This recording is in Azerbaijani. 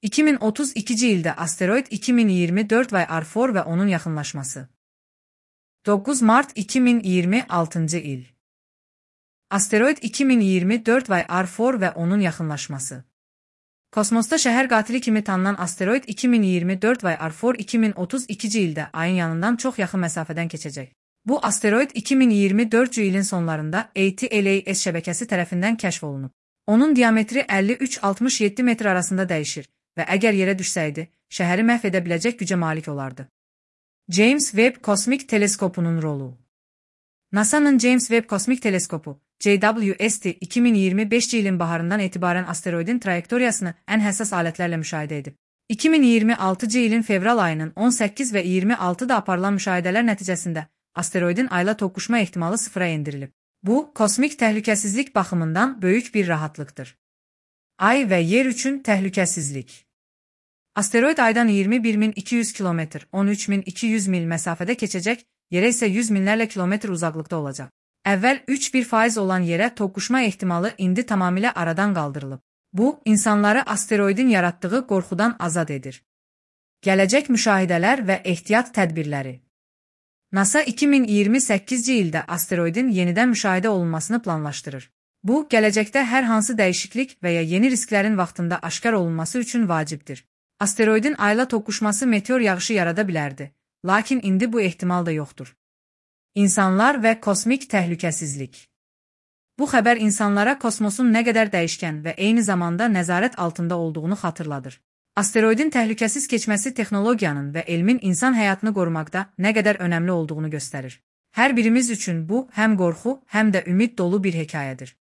2032 ildə asteroid 2024 və R4 və onun yaxınlaşması. 9 mart 2026 il. Asteroid 2024 və R4 və onun yaxınlaşması. Kosmosda şəhər qatili kimi tanınan asteroid 2024 və R4 2032 ildə ayın yanından çox yaxın məsafədən keçəcək. Bu asteroid 2024 ilin sonlarında ATLAS şəbəkəsi tərəfindən kəşf olunub. Onun diametri 53-67 metr arasında dəyişir və əgər yerə düşsəydi, şəhəri məhv edə biləcək gücə malik olardı. James Webb Kosmik Teleskopunun rolu. NASA'nın James Webb Kosmik Teleskopu, JWST 2025 ilin baharından etibarən asteroidin trayektoriyasını ən həssas alətlərlə müşahidə edib. 2026 ilin fevral ayının 18 və 26-da aparılan müşahidələr nəticəsində asteroidin ayla toqquşma ehtimalı sıfıra endirilib. Bu, kosmik təhlükəsizlik baxımından böyük bir rahatlıqdır. Ay və yer üçün təhlükəsizlik. Asteroid aydan 21.200 km, 13.200 mil məsafədə keçəcək, yerə isə 100 minlərlə kilometr uzaqlıqda olacaq. Əvvəl 3,1% olan yerə toqquşma ehtimalı indi tamamilə aradan qaldırılıb. Bu, insanları asteroidin yaratdığı qorxudan azad edir. Gələcək müşahidələr və ehtiyat tədbirləri. NASA 2028 ildə asteroidin yenidən müşahidə olunmasını planlaşdırır. Bu, gələcəkdə hər hansı dəyişiklik və ya yeni risklərin vaxtında aşkar olunması üçün vacibdir. Asteroidin ayla toqquşması meteor yağışı yarada bilərdi, lakin indi bu ehtimal da yoxdur. İnsanlar və kosmik təhlükəsizlik. Bu xəbər insanlara kosmosun nə qədər dəyişkən və eyni zamanda nəzarət altında olduğunu xatırladır. Asteroidin təhlükəsiz keçməsi texnologiyanın və elmin insan həyatını qorumaqda nə qədər önəmli olduğunu göstərir. Hər birimiz üçün bu həm qorxu, həm də ümid dolu bir hekayədir.